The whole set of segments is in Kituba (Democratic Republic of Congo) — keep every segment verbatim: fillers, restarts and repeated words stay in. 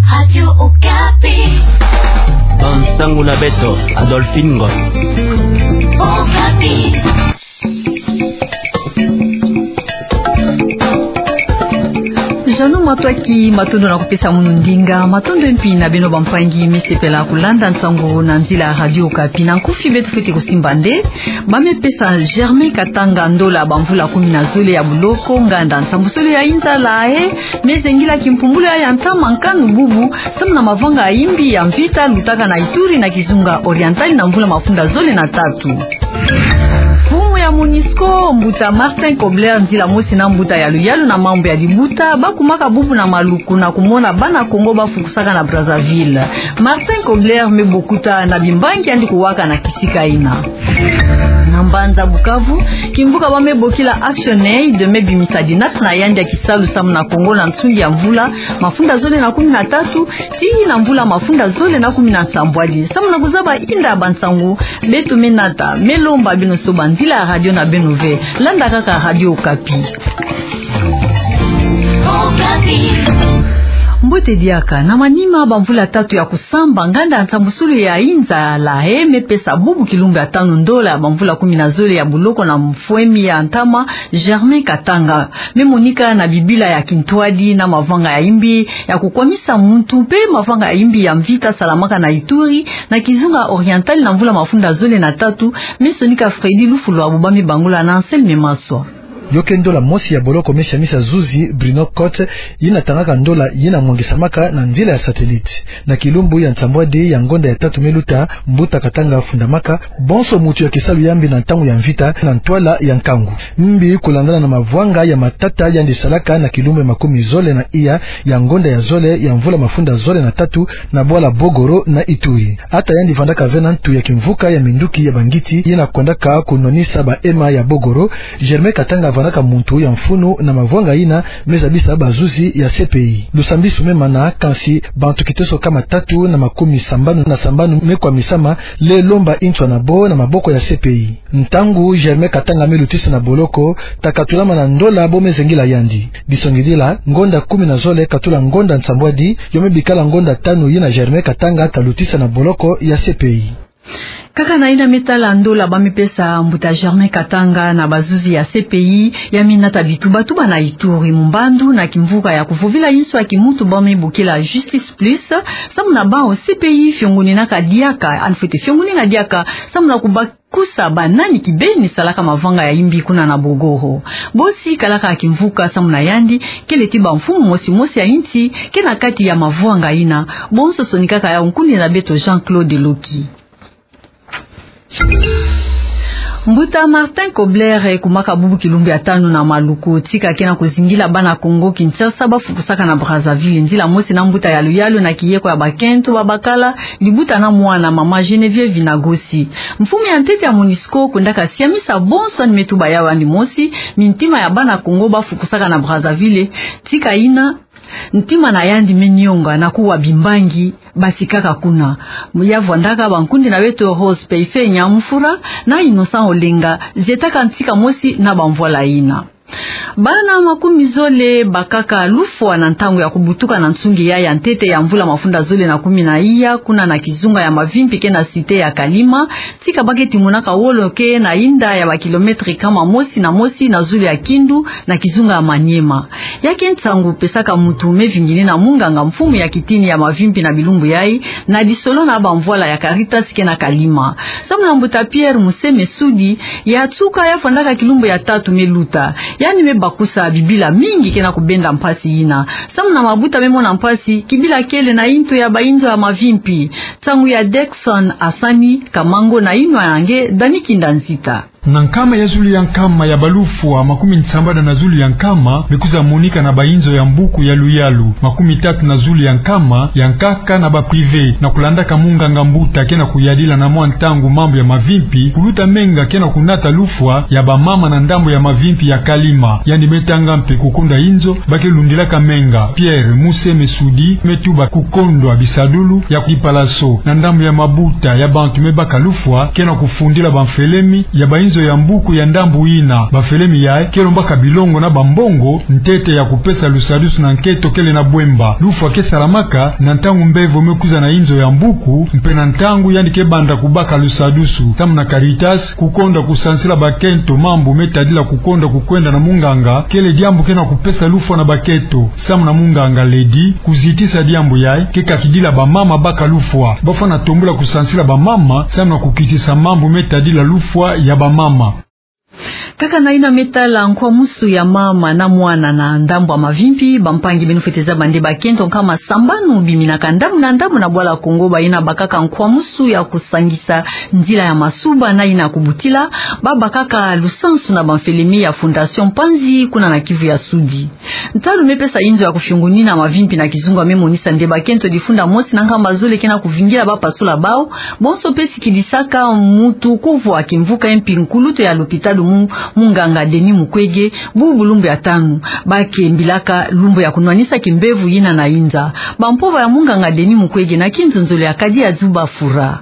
Radio Okapi. Bansangu na beto, Adolphine Ngoy. Okapi. Jeannot Matwaki, matondo na kupesa munu ndinga, matondo mpi na beno bampangi me sepela kulanda nsangu na nzila ya Radio Okapi. Na nkufi beto fwete kusimba nde ba me pesa Germain Katanga ndola bamvula kumi na zole ya buloko, nganda nsambusolo ya inza La Haye me zengila kimpumbulu ya ntama nkanu bubu, samu na mavanga ya imbi ya mvita lutaka na Ituri na kizunga Oriental na mvula mafunda zole na tatu. Mfumu ya MONUSCO, mbuta Martin Kobler, nzila mosi na mbuta ya luyalu na mambu ya libuta, ba kumaka bubu na Maluku na kumona bana Kongo ba fukusaka na Brazzaville. Martin Kobler me bokuta na bimbangi yandi kuwaka na kisika yina. Na mbanza Bukavu, kimvuka ba me bokila ActionAid me bimisa dinaka na yandi ya kisalu samu na Kongo na nsungi ya mvula mafunda zole na kumi na tatu tii na mvula mafunda zole na kumi na nsambwadi. Samu na kuzaba inda ya bansangu beto me nata, me lomba beno soba nzila ya radio na beno ve. Landa kaka Radio Okapi. Okapi. Mbote diaka. Na manima bamvula tatu ya kusamba, nganda nsambusulu ya inza La Haye me pesa bubu kilumbu ya tanu ndola bamvula kumi na zole ya buloko na mfwemi ya ntama Germain Katanga. Me monika na bibila ya kintwadi na mavanga ya imbi ya kukwamisa muntu mpe mavanga ya imbi ya mvita salamaka na Ituri na kizunga Oriental na mvula mafunda zole na tatu, me sonika Freddy Lufulwabu, ba me bangula na Anselme Maswa. Yo ke ndola mosi ya boloko me siamisa zuzi Bruno Cotte, yina tangaka ndola yina mwangisamaka na nzila ya satellite. Na kilumbu ya nsambwadi ya ngonda ya tatu me luta, mbuta Katanga afundamaka bonso mutu ya kisalu ya mbi na ntangu ya mvita na ntwala ya nkangu. Mbi kulandana na mavwanga ya matata yandi salaka na kilumbu ya makumi zole na iya ya ngonda ya zole ya mvula mafunda zole na tatu na bwala Bogoro na Ituri. Ata yandi vandaka ve na ntu ya kimvuka ya minduki ya bangiti yina kwendaka kunwanisa ba ema ya Bogoro, Germain Katanga vandaka muntu ya mfunu na mavwanga yina me zabisa bazuzi ya C P I. Lusambisu me mana, kansi bantu kiteso kama tatu na makumi sambanu na sambanu me kwamisama, le lomba nswa na bo na maboko ya C P I. Ntangu Germain Katanga me lutisa na boloko, ta katulama na ndola bo me zengila yandi. Disongidila, ngonda kumi na zole katula ngonda nsambwadi, yo me bikala ngonda tanu yina Germain Katanga ta lutisa na boloko ya C P I. Kaka na yina me tala ndola ba me pesa mbuta Germain Katanga na bazuzi ya C P I, ya me nata bituba-tuba na Ituri, mu mbandu na kimvuka ya kuvovila nswa ya kimuntu ba me bokila Justice Plus, samu na bawu C P I fiongoninaka diaka, yandi fwete fiongonina diaka, samu na kubakusa banani kibeni salaka mavwanga ya imbi kuna na Bogoro. Bosi kalaka kimvuka, samu na yandi, kele ti bamfumu mosi-mosi ya insi ke na kati ya mavwanga yina. Bonso sonikaka yawu nkundi na beto Jean-Claude Loki. Mbuta Martin Kobler, eh, kumaka bubu kilumbu ya tanu na Maluku, tika ke na kuzingila bana Kongo Kinshasa ba fukusaka na Brazzaville, nzila mosi na mbuta ya luyalu na kiyeko ya bakento ba bakala, libuta na mwana, mama Geneviève Vinagosi. Mfumu ya ntete ya MONUSCO kwendaka siamisa bonso yandi me tuba yawu yandi mosi, mintima ya bana Kongo ba fukusaka na Brazzaville, tika yina ntima na yandi me nionga na kuwa bimbangi ba sikaka kuna. Ya vwandaka bankundi na beto Rose Peife Nyamfura na Innocent Olenga, zietaka ntika mosi na bamvwala yina. Bana makumi zole bakaka lufwa na ntangu ya kubutuka na nsungi ya ya ntete ya mvula mafunda zole na kumi na iya, kuna na kizunga ya Mavimpi ke na cité ya Kalima, tika ba ke timonaka wolo ke na inda ya ba kilomètre kama mosi na mosi na zulu ya Kindu, na kizunga ya Maniema. Ya ke nsangu pesaka mutu me vingini na munganga mfumu ya kitini ya Mavimpi na bilumbu yayi, na lisolo na bamvwala ya Caritas ke na Kalima. Samu na mbuta Pierre Museme Sudi, ya tuka ya vwandaka kilumbu ya tatu me luta. Yandi me bakusa bibila mingi ke na kubenda mpasi yina. Samu na mabuta me mona mpasi, kibila kele na yinto ya bayinzo ya Mavimpi. Nsangu ya Dexon Asani Kamango na yinwa ya nge Dani Kinda Nzita. Na nkama ya zulu ya nkama ya balufwa, makumi nsambanu na zulu ya nkama me kwiza monika na bayinzo ya mbuku ya luyalu, makumi tatu na zulu ya nkama ya nkaka na ba privé, na kulandaka munganga mbuta ke na kuyadila na mwa ntangu mambu ya Mavimpi, kuluta menga ke na kunata lufwa ya bamama na ndambu ya Mavimpi ya Kalima. Yandi me tanga mpe kukunda yinzo ba ke lundilaka menga. Pierre Museme Sudi me tuba kukondwa bisadulu ya kipalaso na ndambu ya mabuta ya bantu me baka lufwa ke na kufundila bamfelemi ya bayinzo ya mbuku ya ndambu yina. Bafelemi yayi ke lombaka bilongo na bambongo ntete ya kupesa lusadusu na nkento kele na bwemba. Lufwa ke salamaka na ntangu mbevo me kwiza na inzo ya mbuku, mpe na ntangu yandi ke banda kubaka lusadusu. Samu na Caritas, kukonda kusansila bakento mambu me tadila kukonda kukwenda na munganga, kele diambu ke na kupesa lufwa na bakento. Samu na munganga Lady, kuzitisa diambu yayi ke kakidila bamama baka lufwa. Bafwana tombula kusansila bamama, samu na kukitisa mambu me tadila lufwa ya bamama. Kaka na yina me tala nkwamusu ya mama na mwana na ndambu ya mavimpi, bampangi, beno fwete zaba nde bakento nkama sambanu biminaka ndambu na ndambu na bwala Kongo, bayina babakaka nkwamusu ya kusangisa nzila ya masuba na yina ya kubutila, babakaka lusansu na bamfelemi ya Fondation Panzi kuna na Kivu ya Sudi. Ntalu me pesa inzo ya kufiongonina mavimpi na kizunga me monisa nde bakento difunda mosi na nkama zole ke na kuvingila bapasula bawu, bonso mpe sikidisaka mutu kuvwa kimvuka ye mpi nkulutu ya lupitalu mu-, munganga Denis Mukwege, bubu lumbu ya tanu, ba ke mbilaka lumbu ya kunwanisa kimbevo yina na inza. Bampova ya munganga Denis Mukwege na kinzonzolo ya Kadi Azuba Fura.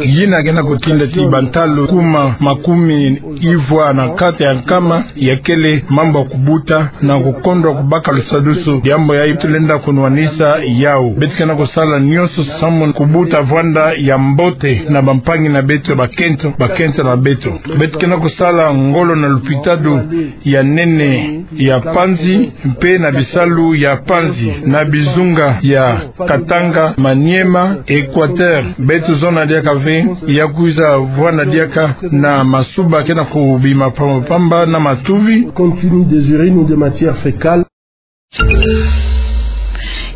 Yina ke na kutinda ti bantalu kuma makumi ivwa na kati ya nkama ya kele mambu ya kubuta na kukondwa kubaka lusadusu. Diambu yayi tulenda kunwanisa yawu. Beto ke na kusala nyonso samu kubuta vwanda ya mbote na bampangi na beto bakento, bakento na beto. Beto ke na kusala ngolo na lupitalu ya nene ya Panzi, mpe na bisalu ya Panzi, na bizunga ya Katanga, Maniema, Equateur. Beto zona diaka ve ya kwiza vwanda diaka na masuba ke na kubima pamba pamba na matuvi. Compte tenu des urines ou des matières fécales.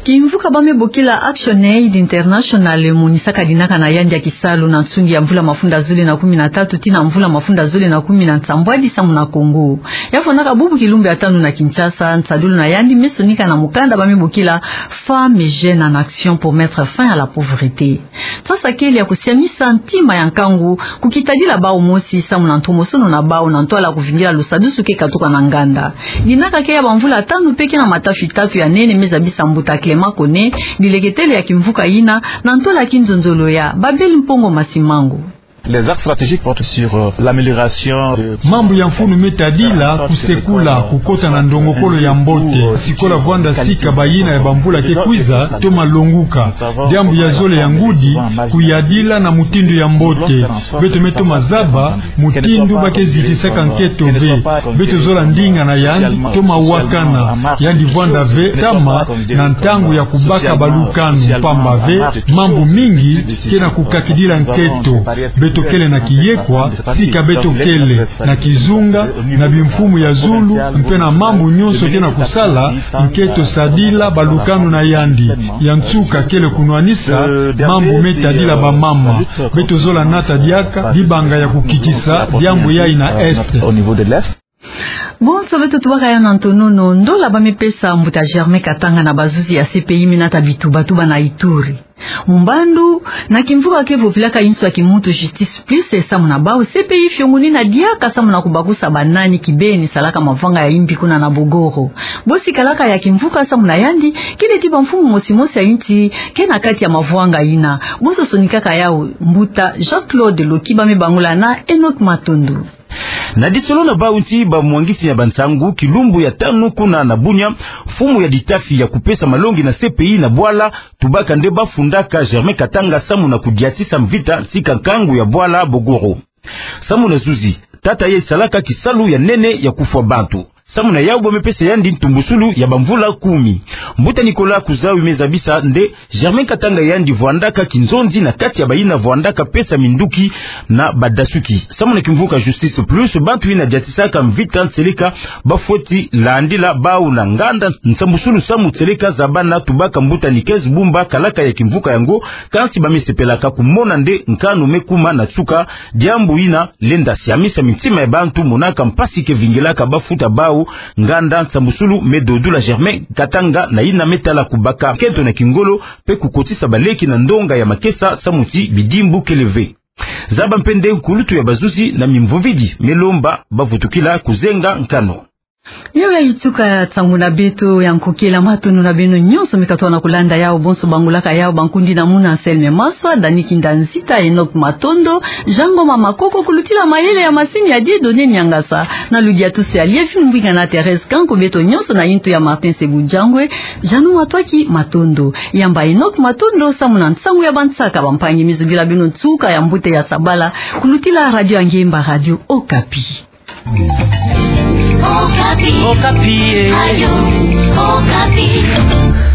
Kimvuka ba me bokila ActionAid International emonisaka dinaka na yandi ya kisalu na nsungi ya mvula mafunda zole na kumi na tatu tii na mvula mafunda zole na kumi na nsambwadi samu na Kongo. Ya fwanaka bubu kilumbu ya tanu na Kinshasa, nsadulu na yandi me sonika na mukanda ba me bokila Femmes et jeunes en action pour mettre fin à la pauvreté. Nsasa kele ya kusiamisa ntima ya nkangu, kukitadila bawu mosi samu na ntomosono na bawu na ntwala kuvingila lusadusu ke katuka na nganda. Dinaka ke ya bamvula tanu mpe ke na matafi tatu ya nene me zabisa mbuta Clément Koné, dileketele ya kimvuka yina, na ntwala kinzonzolo ya Babel Mpongo Masimango. Les axes stratégiques portent sur, euh, l'amélioration de... Mambu ya mfunu me tadila kusekula, kukota na ndongokolo ya mbote, sikola vwanda sika bayina ya bamvula ke kwiza toma longuka. Diambu ya zole ya ngudi, kuyadila na mutindu ya mbote. Beto me toma zaba mutindu ba ke zitisaka nkento ve. Beto zola ndinga na yandi, toma wakana. Yandi vwanda ve tama na ntangu ya kubaka balukanu, pamba ve mambu mingi ke na kukakidila nkento. Beto kele na kiyekwa, sika beto kele na kizunga, na bimfumu ya zulu, mpe na mambu nyonso ke na kusala nkento sadila balukanu na yandi. Ya nsuka kele kunwanisa mambu me tadila bamama. Beto zola nata diaka dibanga ya kukitisa diambu yayi na Est. Bonso beto tubaka yawu na ntonono. Ndola ba me pesa mbuta Germain Katanga na bazuzi ya C P I me nata bitubatuba na Ituri. Mumbandu, na kimvuka ke vovilaka inso ya kimuntu Justice Plus, samu na bawu C P I fiongonina diaka samu na kubakusa banani kibeni salaka mavanga ya imbi kuna na Bogoro. Bosi kalaka ya kimvuka samu na yandi, kele ti bamfumu mosi mosi ya insi ke na kati ya mavanga yina. Bonso sonikaka yawu mbuta Jean-Claude Loki, ba me bangula na Enoch Matondo. Na disolo na bawu nti bamwangisi ya bansangu, kilumbu ya tanu kuna na Bunia, mfumu ya ditafi ya kupesa malongi na C P I na bwala, tubaka nde ba fundaka Germain Katanga samu na kudiatisa mvita nsika nkangu ya bwala Bogoro. Samu na zuzi, tata yayi salaka kisalu ya nene ya kufwa bantu. Samu na yawu ba me pesa yandi ntumbusulu ya bamvula kumi. Mbuta Nicolas Kuzawi me zabisa nde Germain Katanga yandi vwandaka kinzonzi na kati ya bayina vwandaka pesa minduki na badasuki. Samu na kimvuka Justice Plus, bantu yina diatisaka mvita nseleka ba fweti landila bawu na nganda nsambusulu samu nseleka zabana, tubaka mbuta Nikes Bumba, kalaka ya kimvuka yango. Kansi ba me sepelaka kumona nde nkanu me kuma na nsuka, diambu yina lenda siamisa mintima ya bantu monaka mpasi ke vingilaka ba futa bawu nganda nsambusulu me dodula Germain Katanga na yina me tala kubaka nkento na kingolo mpe kukotisa baleki na ndonga ya makesa samu ti bidimbu kele ve. Zaba mpe nde nkulutu ya bazuzi na mimvumvidi me lomba ba vutukila kuzenga nkanu. Yawe, ya tuka nsangu na beto ya nkokela. Matondo na beno nyonso me katuka na kulanda yawu. Bonso bangolaka yawu, bankundi na muna Anselme Maswa, Dani Kinda Nzita, Enoch Matondo, Jean Ngoma Makoko, kulutila mayele ya masini ya Dieudonné Niangasa, na ludia tusu ya liefini mbwinga na Thérèse Kanko, beto nyonso na yintu ya Martin Sebujangwe, Jeannot Matwaki, matondo. Yamba Enoch Matondo samu na nsangu ya bansaka bampangi. Mizungila beno nsuka ya mbote ya sabala, kulutila radio ya ngemba, Radio Okapi. Okapi. Okapi, eh. Radio Okapi.